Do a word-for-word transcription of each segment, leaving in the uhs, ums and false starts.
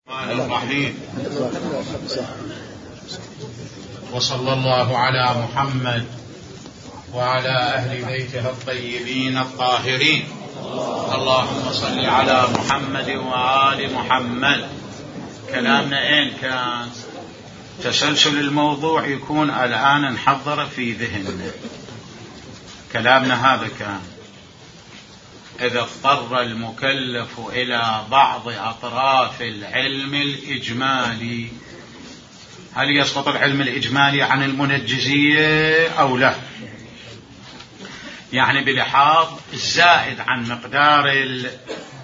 الرحمن الرحيم. وصلى الله على محمد وعلى أهل بيته الطيبين الطاهرين. اللهم صل على محمد وآل محمد. كلامنا أين كان؟ تسلسل الموضوع يكون الآن انحضر في ذهننا. كلامنا هذا كان: إذا اضطر المكلف إلى بعض أطراف العلم الإجمالي، هل يسقط العلم الإجمالي عن المنجزية أو لا؟ يعني بلحاظ الزائد عن مقدار ال...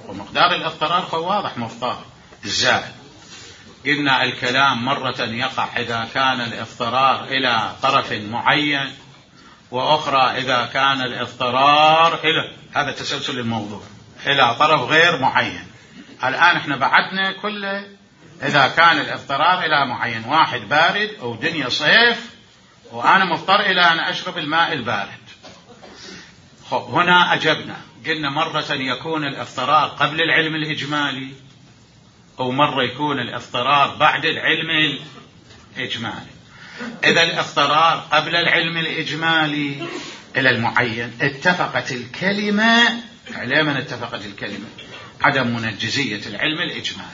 ومقدار الاضطرار فهو واضح مفترض الزائد. قلنا الكلام مرة يقع إذا كان الاضطرار إلى طرف معين، وأخرى إذا كان الاضطرار إلى، هذا تسلسل الموضوع، إلى طرف غير معين. الآن احنا بعدنا كله إذا كان الاضطرار إلى معين، واحد بارد أو دنيا صيف وأنا مضطر إلى أن أشرب الماء البارد. خب هنا أجبنا قلنا مرة يكون الاضطرار قبل العلم الإجمالي، أو مرة يكون الاضطرار بعد العلم الإجمالي. إذا الاضطرار قبل العلم الإجمالي إلى المعين، اتفقت الكلمة على من اتفقت الكلمة عدم منجزية العلم الإجمالي،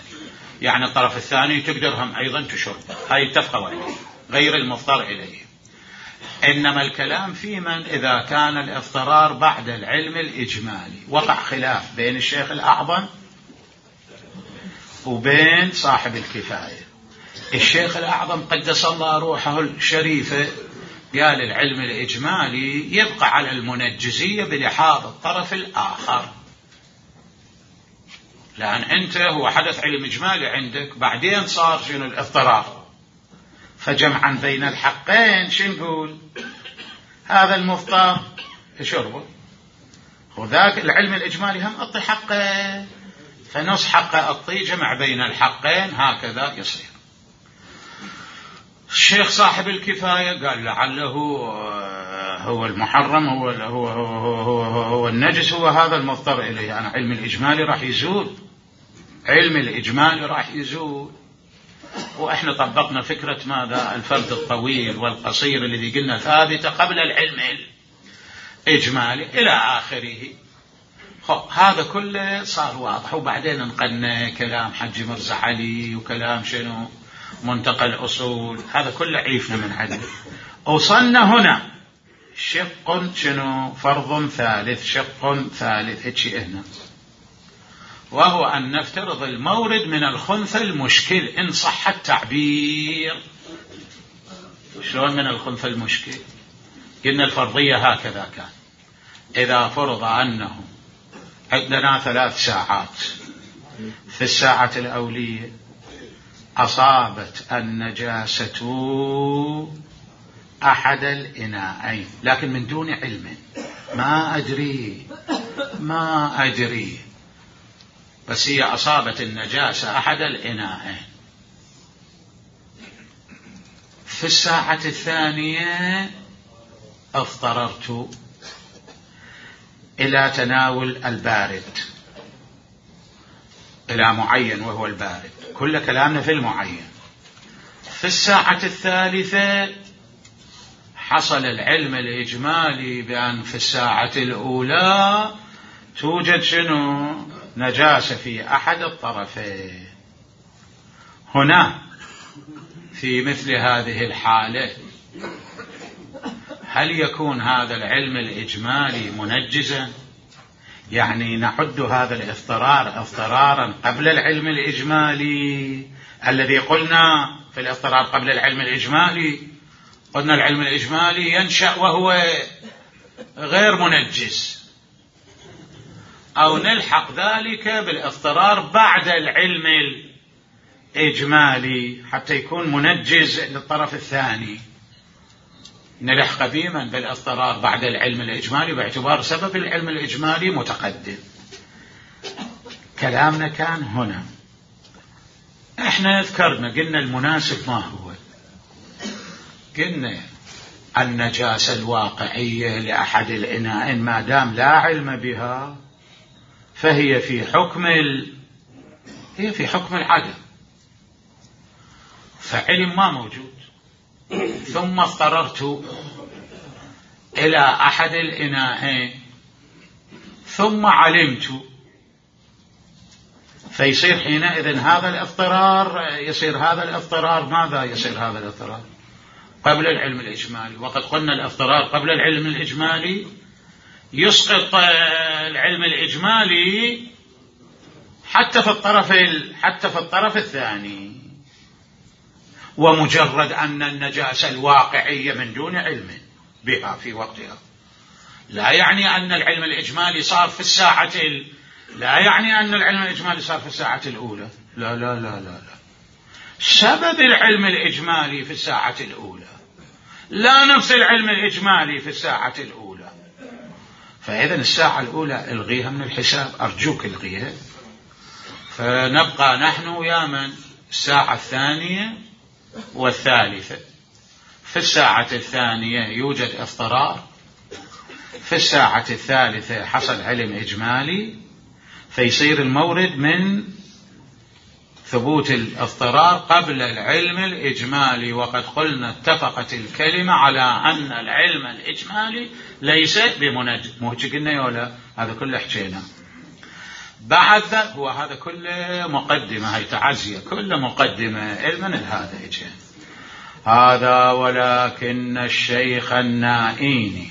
يعني الطرف الثاني تقدرهم أيضا تشرب، هاي اتفقوا عليه غير المضطر إليه. إنما الكلام في من إذا كان الاضطرار بعد العلم الإجمالي. وقع خلاف بين الشيخ الأعظم وبين صاحب الكفاية. الشيخ الأعظم قدس الله روحه الشريفة قال العلم الإجمالي يبقى على المنجزية بلحاظ الطرف الآخر، لأن أنت هو حدث علم إجمالي عندك، بعدين صار شنو الاضطرار، فجمعا بين الحقين شو نقول؟ هذا المضطر شربه، وذاك العلم الإجمالي هم أعطي حقه، فنص حقه أعطي، جمع بين الحقين، هكذا يصير. الشيخ صاحب الكفاية قال لعله هو المحرم، هو هو هو هو, هو, هو النجس، هو هذا المضطر إليه. أنا علم الإجمالي راح يزول، علم الإجمالي راح يزول. وإحنا طبقنا فكرة ماذا؟ الفرد الطويل والقصير الذي قلنا ثابتة قبل العلم الإجمالي إلى آخره. هذا كله صار واضح. وبعدين انقلنا كلام حج مرزا علي وكلام شنو منتقى الأصول، هذا كله عيفنا من عنده. وصلنا هنا شق شنو فرض ثالث، شق ثالث هيك هنا، وهو أن نفترض المورد من الخنثى المشكل إن صح التعبير. شلون من الخنثى المشكل؟ قلنا الفرضية هكذا كان: إذا فرض أنه عندنا ثلاث ساعات، في الساعة الأولية أصابت النجاسة أحد الإناءين، لكن من دون علم، ما أدري ما أدري بس هي أصابت النجاسة أحد الإناءين. في الساعة الثانية اضطررت إلى تناول البارد، إلى معين وهو البارد، كل كلامنا في المعين. في الساعة الثالثة حصل العلم الإجمالي بأن في الساعة الأولى توجد شنو نجاسة في أحد الطرفين. هنا في مثل هذه الحالة هل يكون هذا العلم الإجمالي منجزا؟ يعني نحد هذا الاضطرار اضطرارا قبل العلم الإجمالي الذي قلنا في الاضطرار قبل العلم الإجمالي، قلنا العلم الإجمالي ينشأ وهو غير منجز، أو نلحق ذلك بالاضطرار بعد العلم الإجمالي حتى يكون منجز للطرف الثاني. نلحق بمن بالاضطرار بعد العلم الإجمالي باعتبار سبب العلم الإجمالي متقدم. كلامنا كان هنا. احنا ذكرنا قلنا المناسب ما هو؟ قلنا النجاسة الواقعية لأحد الإناءين ما دام لا علم بها فهي في حكم ال... هي في حكم العدم، فعلم ما موجود، ثم اضطررت إلى أحد الإناءين ثم علمت، فيصير حينئذ هذا الاضطرار، يصير هذا الاضطرار ماذا يصير هذا الاضطرار؟ قبل العلم الإجمالي. وقد قلنا الاضطرار قبل العلم الإجمالي يسقط العلم الإجمالي حتى في الطرف حتى في الطرف الثاني، ومجرد أن النجاسة الواقعية من دون علم بها في وقتها لا يعني أن العلم الإجمالي صار في الساعة ال... لا يعني أن العلم الإجمالي صار في الساعة الأولى، لا لا لا لا لا سبب العلم الإجمالي في الساعة الأولى لا نفس العلم الإجمالي في الساعة الأولى. فإذا الساعة الأولى الغيها من الحساب، أرجوك الغيها، فنبقى نحن يا من الساعة الثانية والثالثة. في الساعة الثانية يوجد اضطرار، في الساعة الثالثة حصل علم إجمالي، فيصير المورد من ثبوت الاضطرار قبل العلم الإجمالي. وقد قلنا اتفقت الكلمة على أن العلم الإجمالي ليس بمنجم، مو قلنا يولا هذا كله حكينا. بعد ذلك هو هذا كله مقدمة، هاي تعزية كله مقدمة علما هذا يجي هذا. ولكن الشيخ النائيني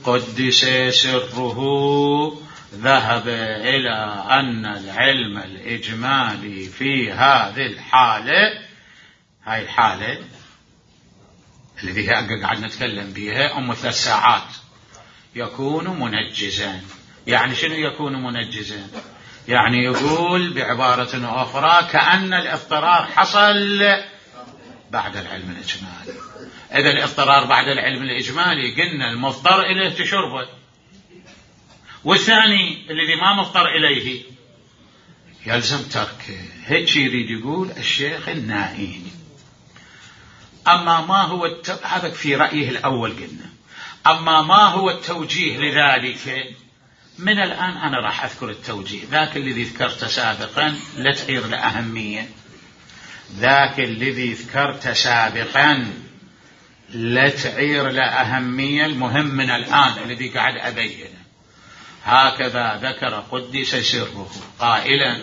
قدس سره ذهب إلى أن العلم الإجمالي في هذه الحالة، هاي الحالة الذي قاعد نتكلم بها أم ثلاث ساعات، يكون منجزا. يعني شنو يكون منجزا؟ يعني يقول بعبارة أخرى كأن الاضطرار حصل بعد العلم الإجمالي. إذا الاضطرار بعد العلم الإجمالي قلنا المضطر إليه تشربه، والثاني الذي ما مضطر إليه يلزم تركه. هيك يريد يقول الشيخ النائيني. أما ما هو الت... هذا في رأيه الأول قلنا. أما ما هو التوجيه لذلك، من الآن أنا راح أذكر التوجيه. ذاك الذي ذكرت سابقا لا تعير لأهمية، ذاك الذي ذكرت سابقا لا تعير لأهمية، المهم من الآن الذي قاعد أبينه. هكذا ذكر قدس سره قائلا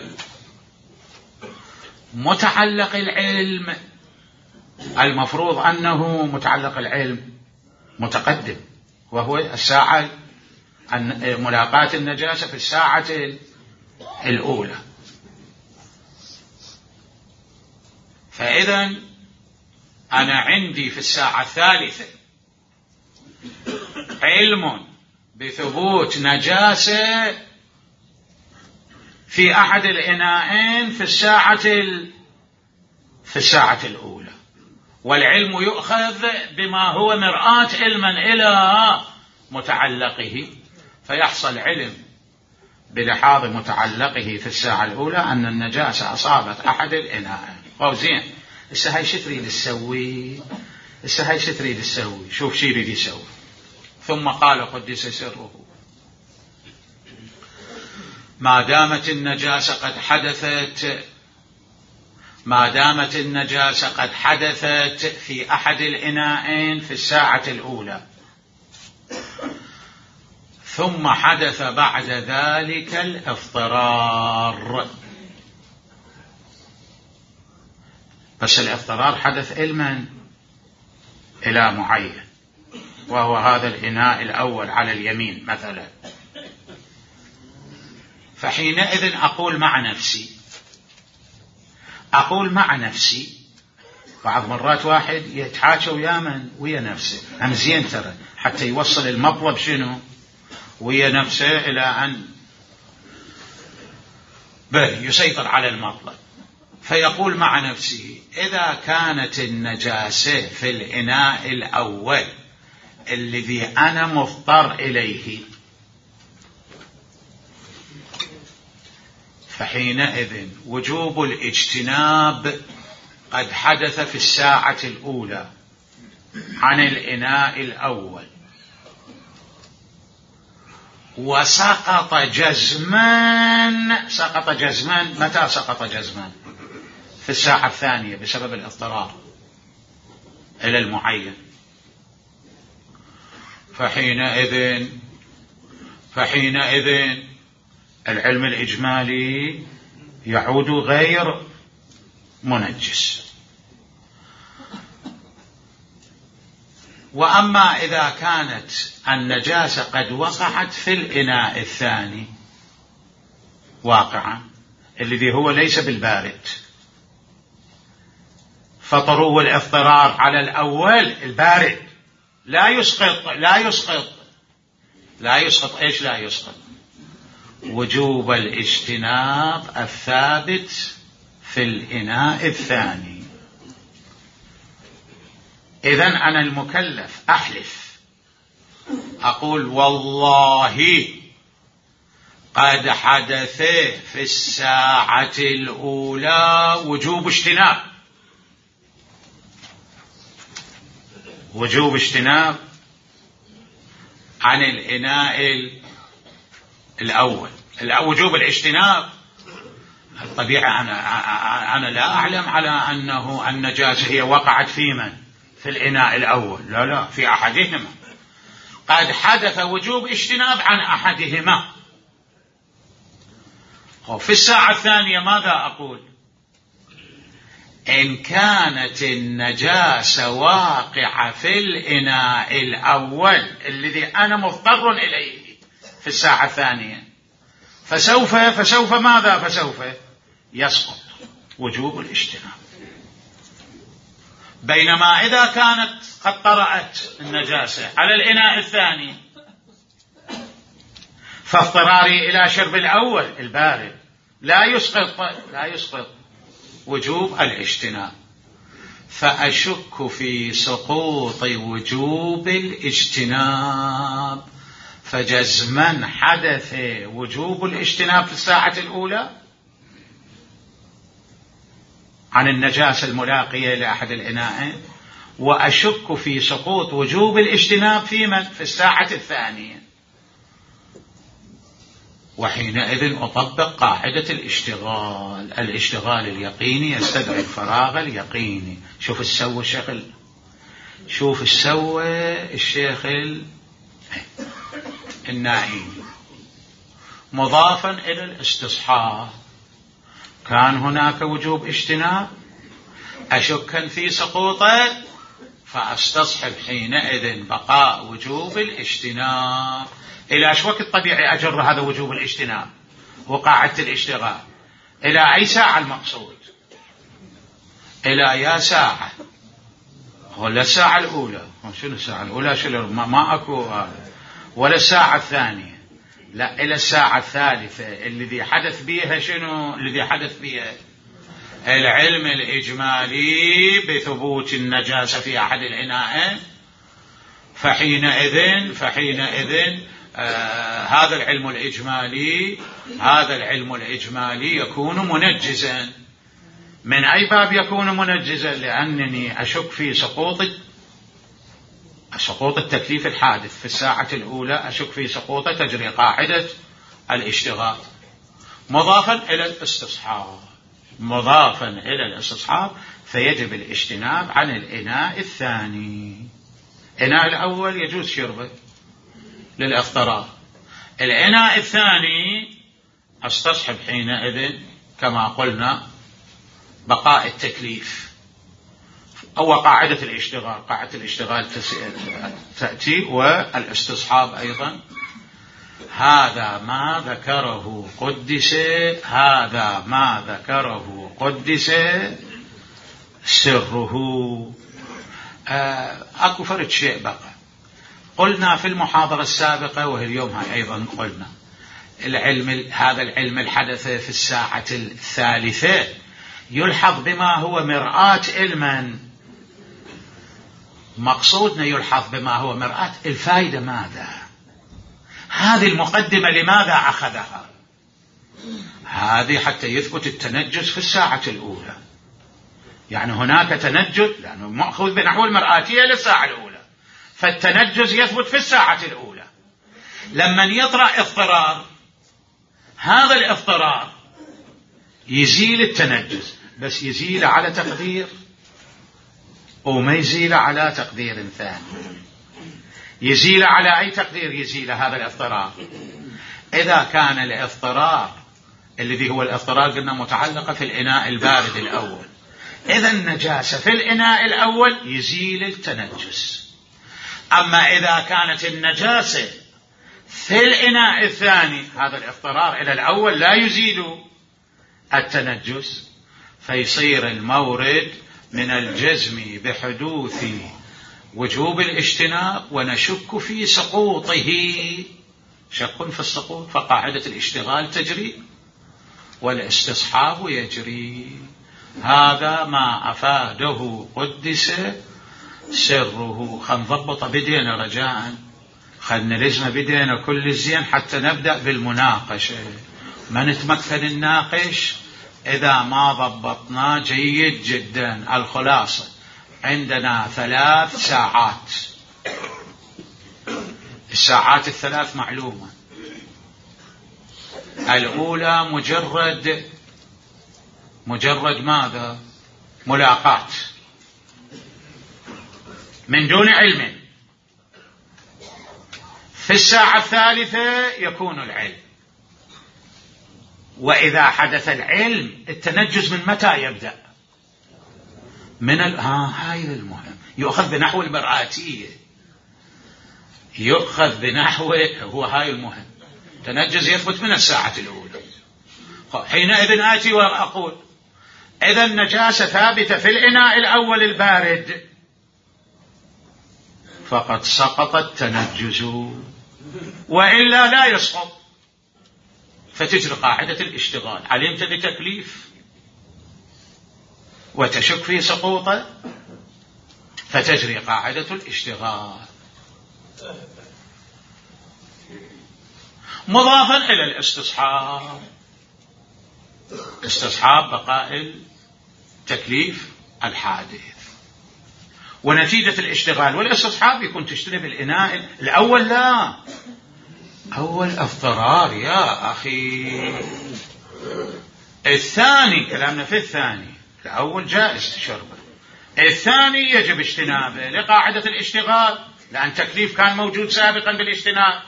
متعلق العلم، المفروض أنه متعلق العلم متقدم، وهو الساعة ملاقاة النجاسة في الساعة الأولى. فإذا أنا عندي في الساعة الثالثة علم بثبوت نجاسة في أحد الإناءين في الساعة في الساعة الأولى، والعلم يؤخذ بما هو مرآة علما إلى متعلقه، فيحصل علم بلحاظ متعلقه في الساعة الأولى أن النجاسة أصابت أحد الإناءين. أو زين، إسا هاي شو تريد تسوي؟ إسا هاي شو تريد تسوي؟ شوف شو يريد يسوي. ثم قال قدس سره ما دامت النجاسة قد حدثت ما دامت النجاسة قد حدثت في أحد الإناءين في الساعة الأولى، ثم حدث بعد ذلك الاضطرار، بس الاضطرار حدث علما إلى معين، وهو هذا الإناء الأول على اليمين مثلا. فحينئذ أقول مع نفسي أقول مع نفسي بعض مرات واحد يتحاكى ويا من ويا نفسه، أنا زين ترى حتى يوصل المطلب شنو ويا نفسه إلى أن يسيطر على المطلب. فيقول مع نفسه إذا كانت النجاسة في الإناء الأول الذي أنا مضطر إليه، فحينئذ وجوب الاجتناب قد حدث في الساعة الأولى عن الإناء الأول، وسقط جزما. سقط جزما. متى سقط جزما؟ في الساعة الثانية بسبب الاضطرار إلى المعين، فحينئذ فحينئذ العلم الإجمالي يعود غير منجس. وأما إذا كانت النجاسة قد وقعت في الإناء الثاني واقعا الذي هو ليس بالبارد، فطرو الاضطرار على الأول البارد لا يسقط لا يسقط لا يسقط إيش لا يسقط؟ وجوب الاجتناب الثابت في الإناء الثاني. إذن أنا المكلف أحلف أقول والله قد حدث في الساعة الأولى وجوب اجتناب وجوب اجتناب عن الإناء الأول. وجوب الاجتناب الطبيعة أنا, أنا لا أعلم على أنه النجاسة هي وقعت في من؟ في الإناء الأول، لا لا، في أحدهما. قد حدث وجوب اجتناب عن أحدهما. في الساعة الثانية ماذا أقول؟ إن كانت النجاسة واقعة في الإناء الأول الذي أنا مضطر إليه في الساعة الثانية فسوف فسوف ماذا فسوف يسقط وجوب الاجتناب. بينما إذا كانت قد طرأت النجاسة على الإناء الثاني فاضطراري إلى شرب الأول البارد لا يسقط لا يسقط وجوب الاجتناب. فأشك في سقوط وجوب الاجتناب، فجزما حدث وجوب الاجتناب في الساعة الأولى عن النجاسة الملاقية لأحد الإناءين، وأشك في سقوط وجوب الاجتناب في من؟ في الساعة الثانية. وحينئذ أطبق قاعدة الاشتغال. الاشتغال اليقيني يستدعي الفراغ اليقيني. شوف السوى الشيخ شوف السوى الشيخ النائي مضافا إلى الاستصحاب. كان هناك وجوب اجتناب أشكا في سقوطه فأستصحب حينئذ بقاء وجوب الاجتناب. إلى ايش وقت طبيعي أجر هذا وجوب الاجتناب وقاعدة الاشتغال؟ إلى أي ساعة المقصود؟ إلى يا ساعة ولا الساعة الأولى؟ شنو الساعة الأولى؟ شنو ما أكو ولا الساعة الثانية؟ لا، إلى الساعة الثالثة الذي حدث بها شنو؟ الذي حدث بها العلم الإجمالي بثبوت النجاسة في أحد الإناءين. فحينئذ فحينئذ آه هذا العلم الإجمالي هذا العلم الإجمالي يكون منجزا. من أي باب يكون منجزا؟ لأنني أشك في سقوط سقوط التكليف الحادث في الساعة الأولى، أشك في سقوط تجري قاعدة الاشتغال مضافا إلى الاستصحاب مضافا إلى الاستصحاب فيجب الاجتناب عن الإناء الثاني. الإناء الأول يجوز شربه للاضطرار، الإناء الثاني استصحب حينئذ كما قلنا بقاء التكليف أو قاعدة الاشتغال. قاعدة الاشتغال تأتي والاستصحاب أيضا. هذا ما ذكره قدس هذا ما ذكره قدس سره. أكو فرد شيء بقى قلنا في المحاضرة السابقة وهي اليوم هاي أيضا قلنا العلم هذا العلم الحدث في الساعة الثالثة يلحظ بما هو مرآة علما. مقصودنا يلحظ بما هو مرآة الفائدة. ماذا هذه المقدمة لماذا أخذها؟ هذه حتى يثبت التنجس في الساعة الأولى. يعني هناك تنجس لأنه مأخوذ بنحو المرآتية للساعة الأولى، فالتنجس يثبت في الساعة الأولى. لما يطرأ اضطرار هذا الاضطرار يزيل التنجس. بس يزيله على تقدير وما يزيله على تقدير ثاني. يزيله على أي تقدير يزيله هذا الاضطرار؟ إذا كان الاضطرار الذي هو الاضطرار قلنا متعلقة في الإناء البارد الأول، إذا النجاسة في الإناء الأول يزيل التنجس. أما إذا كانت النجاسة في الإناء الثاني هذا الاضطرار إلى الأول لا يزيل التنجس، فيصير المورد من الجزم بحدوث وجوب الاجتناب ونشك في سقوطه. شك في السقوط فقاعدة الاشتغال تجري والاستصحاب يجري. هذا ما أفاده قدس سره. خل نضبط بدينا رجاء، خل نلزم بدينا كل الزين حتى نبدأ بالمناقشة. ما نتمكن الناقش إذا ما ضبطنا جيد جدا. الخلاصة عندنا ثلاث ساعات، الساعات الثلاث معلومة. الأولى مجرد مجرد ماذا؟ ملاقات من دون علم. في الساعة الثالثة يكون العلم. وإذا حدث العلم التنجس من متى يبدأ؟ من ال... ها هاي المهم. يؤخذ بنحو المرآتية، يؤخذ بنحو هو هاي المهم. تنجس يثبت من الساعة الأولى. حينئذ آتي وأقول إذا النجاسة ثابتة في الإناء الأول البارد فقد سقط التنجس، وإلا لا يسقط. فتجري قاعدة الاشتغال. علمت بتكليف وتشك في سقوطه فتجري قاعدة الاشتغال. مضافا إلى الاستصحاب، استصحاب بقاء التكليف الحادث. ونتيجة الاشتغال والاستصحاب يكون تجتنب الإناء الأول. لا، أول اضطرار يا أخي. الثاني كلامنا في الثاني، الأول جائز شربه، الثاني يجب اجتنابه لقاعدة الاشتغال، لأن تكليف كان موجود سابقا بالاجتناب.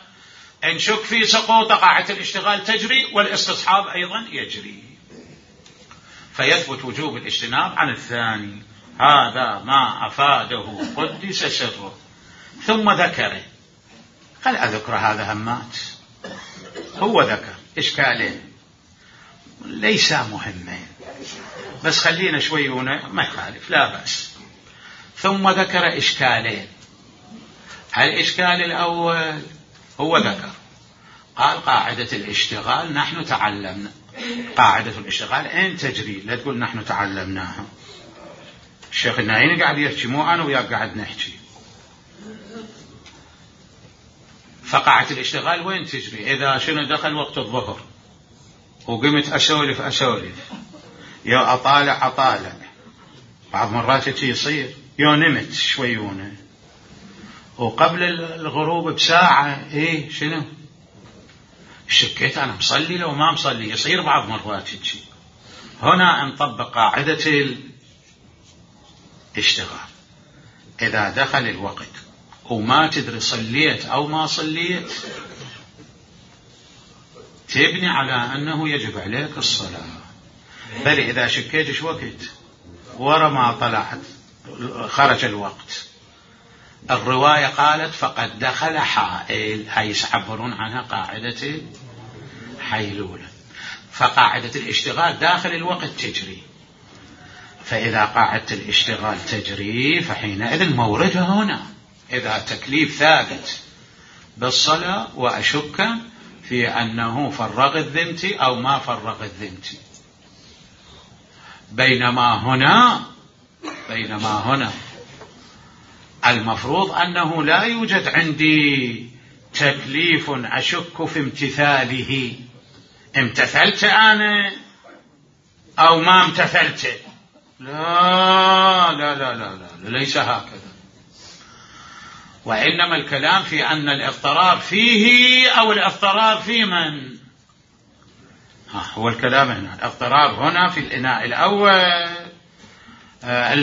إن شك في سقوط قاعدة الاشتغال تجري والاستصحاب أيضا يجري، فيثبت وجوب الاجتناب عن الثاني. هذا ما أفاده قدس سره. ثم ذكره، قال أذكر هذا همات، هو ذكر إشكالين ليس مهمين بس خلينا شوي هنا ما يخالف لا بأس. ثم ذكر إشكالين. الإشكال الأول هو ذكر قال قاعدة الاشتغال نحن تعلمنا. قاعدة الاشتغال أين تجري؟ لا تقول نحن تعلمناها. الشيخ النايني قاعد يحكي مو أنا وياك قاعد نحكي. فقاعدة الاشتغال وين تجري؟ إذا شنو دخل وقت الظهر وقمت أسولف أسولف يا أطالع أطالع، بعض مرات يصير يا نمت شويونه وقبل الغروب بساعة إيه شنو شكيت أنا مصلي لو ما مصلي، يصير بعض مرات يجي. هنا نطبق قاعدة الاشتغال. إذا دخل الوقت وما تدري صليت أو ما صليت تبني على أنه يجب عليك الصلاة. بل إذا شكيت شو وقت ورا ما طلعت خرج الوقت، الرواية قالت فقد دخل حائل، هاي يعبرون عنها قاعدة حيلولة. فقاعدة الاشتغال داخل الوقت تجري. فإذا قاعدة الاشتغال تجري فحينئذ موردها هنا. إذا تكليف ثابت بالصلاة وأشك في أنه فرغ الذمتي أو ما فرغ الذمتي. بينما هنا بينما هنا المفروض أنه لا يوجد عندي تكليف أشك في امتثاله. امتثلت أنا أو ما امتثلت؟ لا لا لا لا, لا. ليس هكذا. وإنما الكلام في أن الاضطرار فيه أو الاضطرار في من؟ هو الكلام هنا الاضطرار هنا في الإناء الأول. آه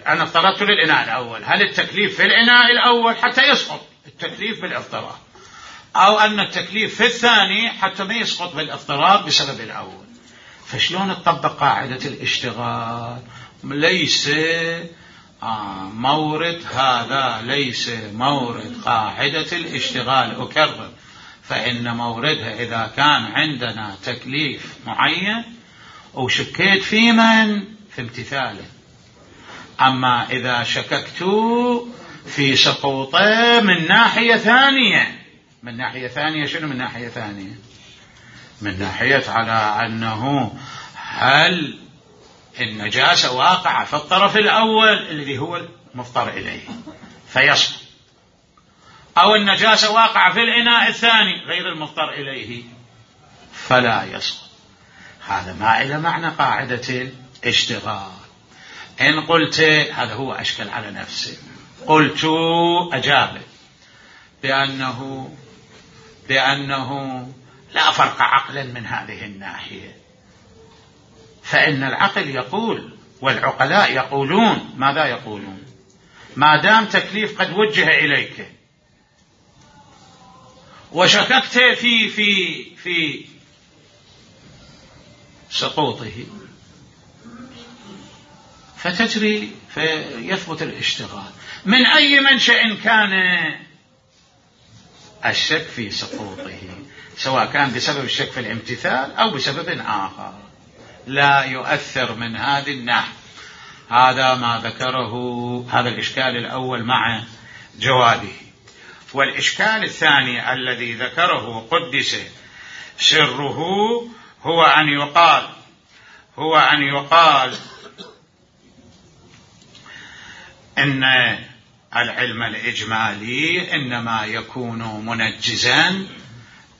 أنا افترضت للإناء الأول، هل التكليف في الإناء الأول حتى يسقط التكليف بالاضطرار، أو أن التكليف في الثاني حتى ما يسقط بالاضطرار بسبب الأول؟ فشلون تطبق قاعدة الاشتغال؟ ليس آه مورد، هذا ليس مورد قاعدة الاشتغال. أكرر، فإن موردها إذا كان عندنا تكليف معين وشكيت في من في امتثاله. أما إذا شككت في سقوطه من ناحية ثانية، من ناحية ثانية شنو من ناحية ثانية؟ من ناحية على أنه هل النجاسة واقعة في الطرف الأول الذي هو المضطر إليه فيسقط، أو النجاسة واقعة في الإناء الثاني غير المضطر إليه فلا يسقط. هذا ما إلى معنى قاعدة الاشتغال. إن قلت هذا هو أشكل على نفسه، قلت أجاب بأنه بأنه لا فرق عقلا من هذه الناحية، فإن العقل يقول والعقلاء يقولون ماذا يقولون؟ ما دام تكليف قد وجه إليك وشككت في في في سقوطه فتجري فيثبت الاشتغال من أي منشأ كان الشك في سقوطه، سواء كان بسبب الشك في الامتثال أو بسبب آخر، لا يؤثر من هذه الناحية. هذا ما ذكره، هذا الإشكال الأول مع جوابه. والإشكال الثاني الذي ذكره قدس سره هو أن يقال هو أن يقال إن العلم الإجمالي إنما يكون منجزا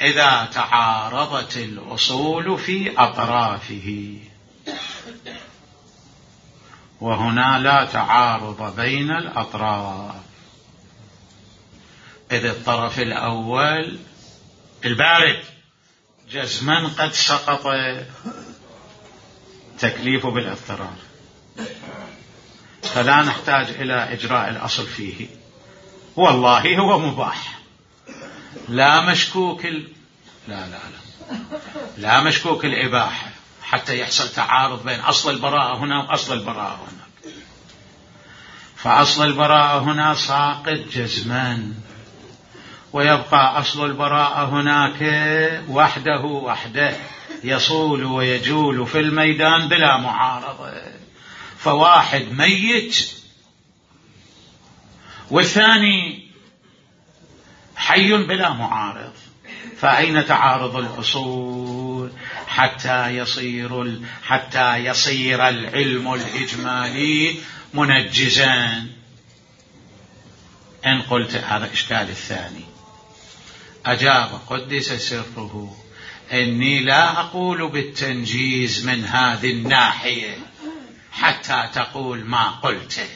إذا تعارضت الأصول في أطرافه، وهنا لا تعارض بين الأطراف، إذ الطرف الأول البارد جزما قد سقط تكليفه بالاضطرار، فلا نحتاج إلى إجراء الأصل فيه، والله هو مباح لا مشكوك ال... لا لا لا لا مشكوك الإباحة حتى يحصل تعارض بين أصل البراءة هنا وأصل البراءة هناك. فأصل البراءة هنا ساقط جزما، ويبقى أصل البراءة هناك وحده وحده يصول ويجول في الميدان بلا معارضة، فواحد ميت والثاني حي بلا معارض، فأين تعارض الأصول حتى يصير حتى يصير العلم الإجمالي منجزا؟ إن قلت هذا إشكال الثاني، أجاب قدس سره إني لا أقول بالتنجيز من هذه الناحية حتى تقول ما قلته،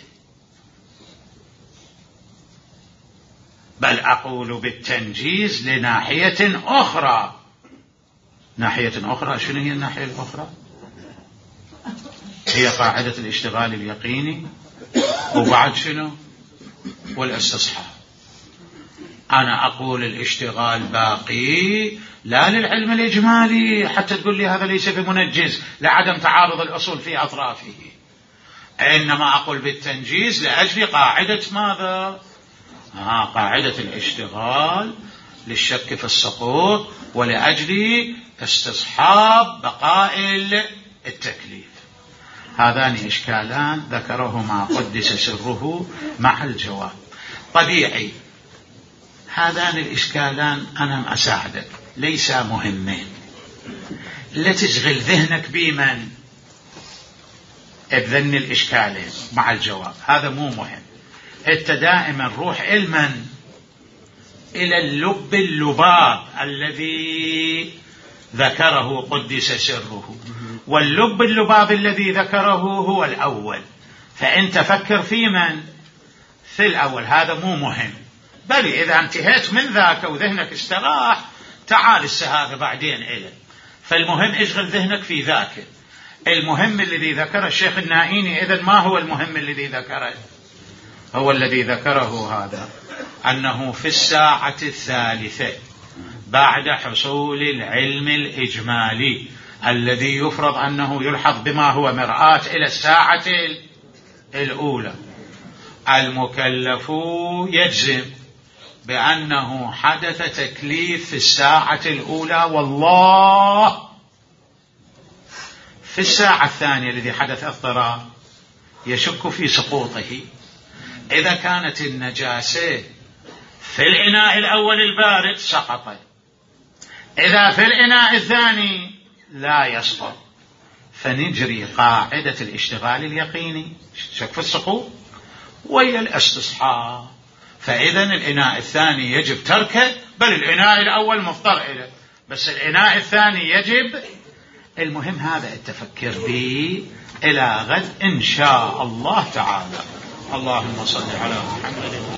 بل أقول بالتنجيز لناحية أخرى. ناحية أخرى شنو هي الناحية الأخرى؟ هي قاعدة الاشتغال اليقيني، وبعد شنو؟ والاستصحاب. أنا أقول الاشتغال باقي لا للعلم الإجمالي حتى تقول لي هذا ليس بمنجز لعدم تعارض الأصول في أطرافه، إنما أقول بالتنجيز لأجل قاعدة ماذا؟ آه قاعدة الاشتغال للشك في السقوط ولأجل استصحاب بقاء التكليف. هذان إشكالان ذكرهما قدس سره مع الجواب. طبيعي هذان الإشكالان أنا أساعدك ليس مهمين، لا تشغل ذهنك بمن بذن الإشكالين مع الجواب، هذا مو مهم. أنت دائما روح علما إلى اللب اللباب الذي ذكره قدس سره، واللب اللباب الذي ذكره هو الأول، فأنت فكر في من في الأول، هذا مو مهم. بل إذا انتهيت من ذاك وذهنك استراح تعال السهاغ بعدين إليه. فالمهم اشغل ذهنك في ذاك المهم الذي ذكره الشيخ النائيني. إذن ما هو المهم الذي ذكره؟ هو الذي ذكره هذا، أنه في الساعة الثالثة بعد حصول العلم الإجمالي الذي يفرض أنه يلحظ بما هو مرآة إلى الساعة الأولى، المكلف يجزم بأنه حدث تكليف في الساعة الأولى والله. في الساعة الثانية الذي حدث اضطرار يشك في سقوطه. إذا كانت النجاسة في الإناء الأول البارد سقط، إذا في الإناء الثاني لا يسقط، فنجري قاعدة الاشتغال اليقيني، شك في السقوط ويا الاستصحاب. فإذا الإناء الثاني يجب تركه، بل الإناء الأول مضطر إليه، بس الإناء الثاني يجب. المهم هذا التفكر به إلى غد إن شاء الله تعالى. اللهم صل على محمد.